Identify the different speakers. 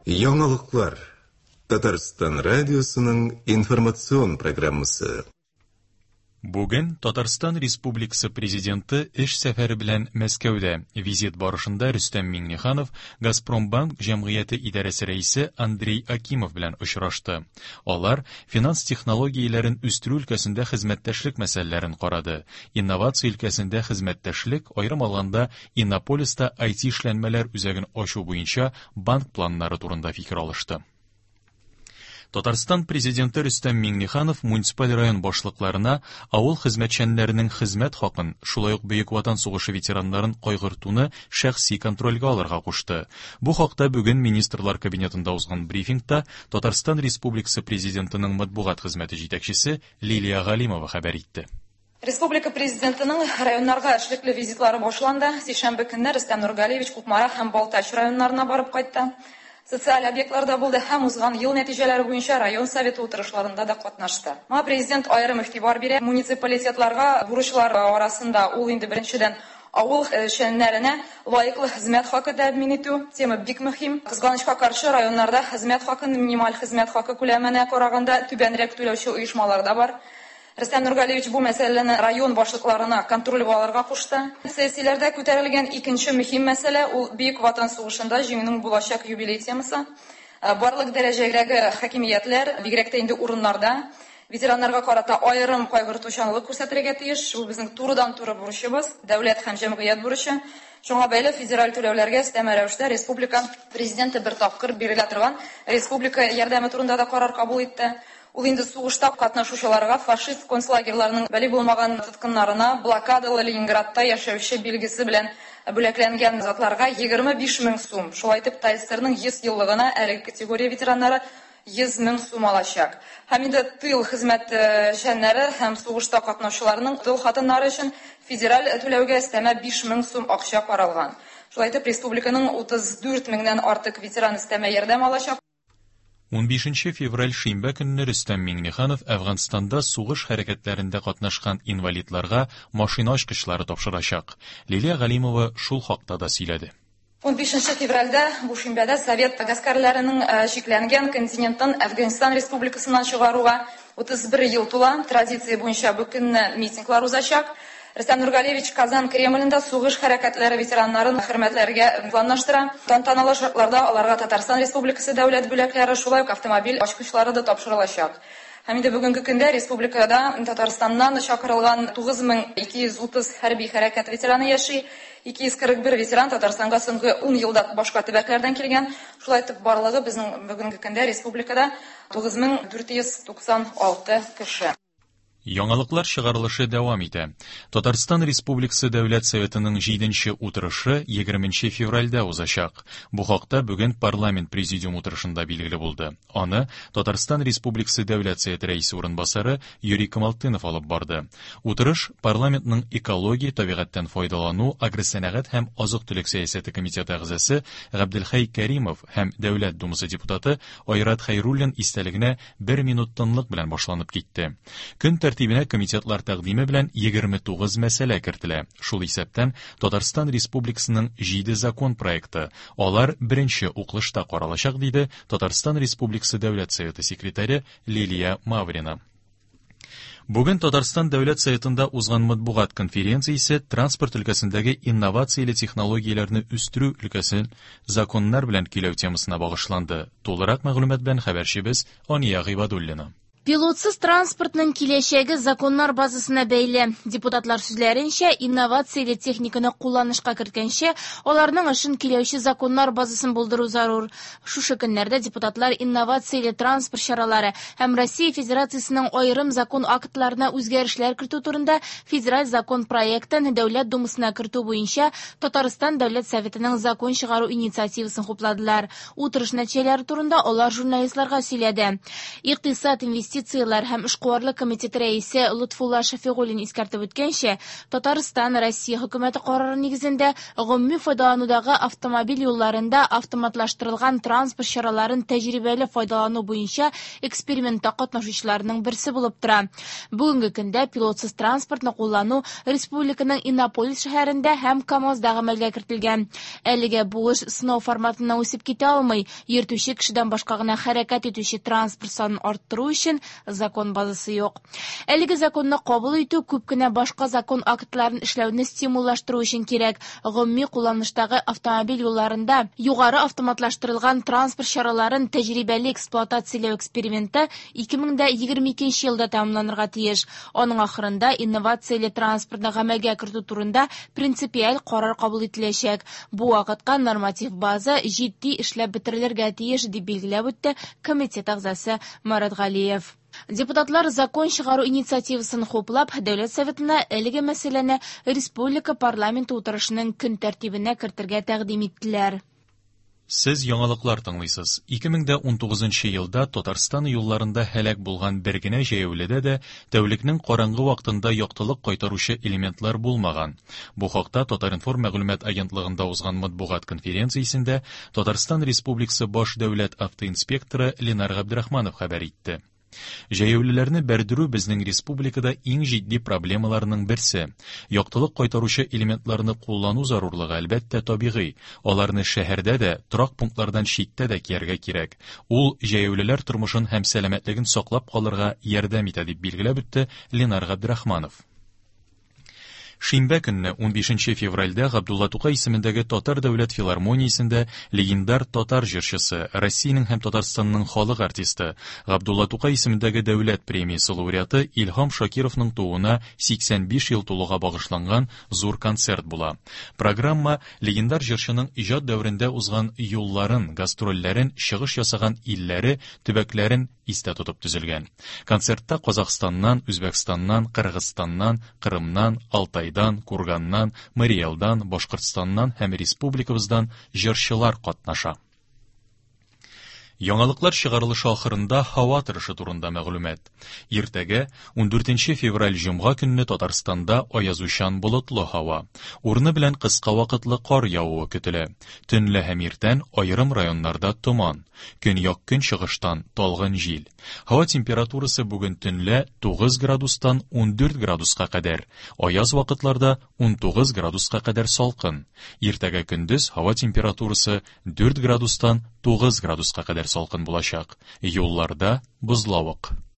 Speaker 1: Яңалыклар. Татарстан радиосының информацион программасы.
Speaker 2: Бүген Татарстан Республикасы Президенты эш сәфәре белән Мәскәүдә. Визит барышында Рөстәм Миңнеханов Газпромбанк җәмгыяте идарәсе рәисе Андрей Акимов белән очрашты. Алар финанс технологияләрен үстерү өлкәсендә хезмәттәшлек мәсьәләләрен карады. Инновация өлкәсендә хезмәттәшлек, аерым алганда, Иннополиста IT-эшләнмәләр үзәген ачу буенча банк планнары турында фикер алышты. Татарстан Президенты Рөстәм Миңнеханов муниципаль район башлыкларына авыл хезмәтчәннәренең хезмәт хакын, шулай ук Бөек Ватан сугышы ветераннарын кайгыртуны шәхси контрольгә алырга кушты. Бу хакта бүген Министрлар Кабинетында узган брифингта Татарстан Республикасы Президентының матбугат хезмәте җитәкчесе Лилия Галимова хәбәр итте.
Speaker 3: Республика Президентының районнарга эшлекле визитлары башланды. Сишәмбе көнне Рөстәм Нургалиевич Кукмара һәм Балтач районнарына барып кайтты. Социаль объектларда булды һәм узган ел нәтиҗәләре буенча район советы утырышларында да катнашты. Моңа Президент аерым игътибар бирә. Муниципалитетларга бурычлар арасында ул инде беренчедән авыл эшчәннәренә лаеклы хезмәт хакы тәэмин итү тема бик мөһим. Кызганычка каршы, районнарда хезмәт хакын минималь хезмәт хакы күләменә караганда түбәнрәк түләүче оешмалар да бар. Рөстәм Нургалиевич бу мәсьәләне район башлыкларына контрольгә алырга кушты. Сессияләрдә күтәрелгән икенче мөһим мәсьәлә, ул Бөек Ватан сугышында Җиңүнең булачак юбилей темасы. Барлык дәрәҗәдәге хакимиятләр, бигрәк тә инде урыннарда, ветераннарга карата аерым кайгыртучанлык күрсәтергә тиеш. Бу безнең турыдан-туры бурычыбыз, дәүләт һәм җәмгыять бурычы. Шуңа бәйле федераль түләүләргә өстәмә рәвештә республика Президенты бер тапкыр бирелә торган республика ярдәме турында да карар кабул итте. Ул инде сугышта катнашучыларга, фашист концлагерьларының балигъ булмаган тоткыннарына, блокадалы Ленинградта яшәүче билгесе белән бүләкләнгән затларга 25 мең сум, шулай итеп ТАССРның 100 еллыгына әлеге категория ветераннары 100 мең сум алачак. Һәм инде тыл хезмәтчәннәре һәм сугышта катнашучыларның тол хатыннары өчен федераль түләүгә өстәмә 5 мең сум акча каралган. Шулай итеп, республиканың 34 меңнән артык ветеран өстәмә ярдәм алачак.
Speaker 2: Унбишенче февраль шимбә көнне Рөстәм Миңнеханов Әфганстанда сугыш хәрәкәтләрендә катнашкан инвалидларга машина ачкычлары тапшырачак. Лилия Галимова шул хакта да сөйләде.
Speaker 3: Унбишенче февральдә, бу шимбәдә, совет гаскәрләренең чикләнгән континенттан Әфганстан Республикасыннан чыгаруга 31 ел тула. Традиция буенча бу көнне митинглар узачак. Рөстәм Нургалиевич Казан Кремлендә сугыш хәрәкәтләре ветераннарын хөрмәтләргә планлаштыра. Тантаналы шартларда аларга Татарстан Республикасы дәүләт бүләкләре, шулай ук автомобиль ачкычлары да тапшырылачак. Һәм инде бүгенге көндә республикада Татарстаннан чакырылган 9230 хәрби хәрәкәт ветераны яши. 241 ветеран Татарстанга соңгы ун елда башка төбәкләрдән килгән. Шулай итеп, барлыгы безнең бүгенге көндә республикада 9496 кеше.
Speaker 2: Яңалыклар чыгарылышы дәвам итә. Татарстан Республикасы Дәүләт Советының җиденче утырышы егерменче февральдә узачак. Бу хакта бүген парламент президиум утырышында билгеле булды. Аны Татарстан Республикасы Дәүләт Советы рәисе урынбасары Юрий Камалтынов алып барды. Утырыш парламентның экология, табигатьтән файдалану, агросәнәгать һәм азык-төлек сәясәте комитеты әгъзасы Габделхәй Кәримов һәм Дәүләт Думасы депутаты Айрат Хәйруллин истәлегенә бер минут тынлык белән башланып китте. Көн тәртибенә комитетлар тәкъдиме белән 29 мәсьәлә кертелә. Шул исәптән Татарстан Республикасының 7 закон проекты. Алар беренче укылышта каралачак, диде Татарстан Республикасы Дәүләт Советы секретаре Лилия Маврина. Бүген Татарстан Дәүләт Советында узган матбугат конференциясе транспорт өлкәсендәге инновацияле технологияләрне үстерү өлкәсен законнар белән көйләү темасына багышланды. Тулырак мәгълүмат белән хәбәрчебез Ания Гыйбадуллина.
Speaker 4: Пилотсыз транспортның киләчәге законнар базасына бәйле. Депутатлар сүзләренчә, инновацияле техниканы кулланышка керткәнче, аларның эшен көйләүче законнар базасын булдыру зарур. Шушы көннәрдә депутатлар инновацияле транспорт чаралары һәм Россия Федерациясенең аерым закон актларына үзгәрешләр кертү турында федераль закон проектын Дәүләт Думасына кертү буенча Татарстан Дәүләт Советының закон чыгару инициативасын хупладылар. Утырыш нәтиҗәләре турында алар журналистларга сөйләде. Икътисад, инвестицияләр Инвестицияләр һәм эшкуарлык комитеты рәисе Лотфулла Шәфигуллин искәртеп үткәнчә, Татарстан Россия хөкүмәте карары нигезендә гомуми файдаланудагы автомобиль юлларында автоматлаштырылган транспорт чараларын тәҗрибәле файдалану буенча экспериментта катнашучыларның берсе булып тора. Бүгенге көндә пилотсыз транспортны куллану республиканың Иннополис шәһәрендә һәм КАМАЗда гамәлгә кертелгән. Әлегә бу эш сынау форматыннан үсеп китә алмый. Йөртүче кешедән башка гына хәрәкәт итүче транспорт санын арттыру өчен закон базасы юк. Әлеге законны кабул итү күп кенә башка закон актларын эшләүне стимуллаштыру өчен кирәк. Гомуми кулланыштагы автомобиль юлларында югары автоматлаштырылган транспорт чараларын тәҗрибәле эксплуатацияләү эксперименты 2022 елда тәмамланырга тиеш. Аның ахырында инновацияле транспортны гамәлгә кертү турында принципиаль карар кабул ителәчәк. Бу вакытка норматив база җитди эшләп бетерелергә тиеш, дип билгеләп үтте комитет әгъзасы Марат Галиев. Депутатлар закон чыгару инициативасын хуплап, Дәүләт Советына әлеге мәсьәләне республика парламенты утырышының көн тәртибенә кертергә тәкъдим иттеләр.
Speaker 2: Сез яңалыклар тыңлыйсыз. 2019 елда Татарстан юлларында һәлак булган бер генә җәяүледә дә тәүлекнең караңгы вакытында яктылык кайтаручы элементлар булмаган. Бу хакта Татар-информ мәгълүмат агентлыгында узган матбугат конференциясендә Татарстан Республикасы баш дәүләт автоинспекторы Ленар Габдрахманов хәбәр итте. Җәяүлеләрне бәрдерү безнең республикада иң җитди проблемаларның берсе. Яктылык кайтаручы элементларны куллану зарурлыгы, әлбәттә, табигый. Аларны шәһәрдә дә, торак пунктлардан читтә дә кияргә кирәк. Ул җәяүлеләр тормышын һәм сәламәтлеген саклап калырга ярдәм итә, дип билгеләп үтте Ленар Габдрахманов. Шимбә көнне, 15 февральдә Габдулла Тукай исемендәге Татар дәүләт филармониясендә легендар татар җырчысы, Россиянең һәм Татарстанның халык артисты, Габдулла Тукай исемендәге дәүләт премиясе лауреаты Илһам Шакировның тууына 85 ел тулуга багышланган зур концерт була. Программа легендар җырчының иҗат дәверендә узган юлларын, гастрольләрен, чыгыш ясаган илләре, төбәкләрен истә тотып төзелгән. Концертта Казахстаннан, Үзбәкстаннан, Кыргызстаннан, Кырымнан, Алтайдан, Курганнан, Марий Элдан, Башкортстаннан һәм республикабыздан җырчылар катнаша. Яңалыклар чыгарылышы ахырында һава торышы турында мәгълүмат. Иртәгә, 14 февраль җомга көнне Татарстанда аязучан болытлы һава. Урыны белән кыска вакытлы кар явуы көтелә. Төнлә һәм иртән аерым районнарда томан. Көньяк-көнчыгыштан талгын җил. Һава температурасы бүген төнлә 9 градустан 14 градуска кадәр, аяз вакытларда 19 градуска кадәр салкын. Иртәгә көндез һава температурасы 4 градустан 9 градуска кадәр салкын булачак. Юлларда бозлавык.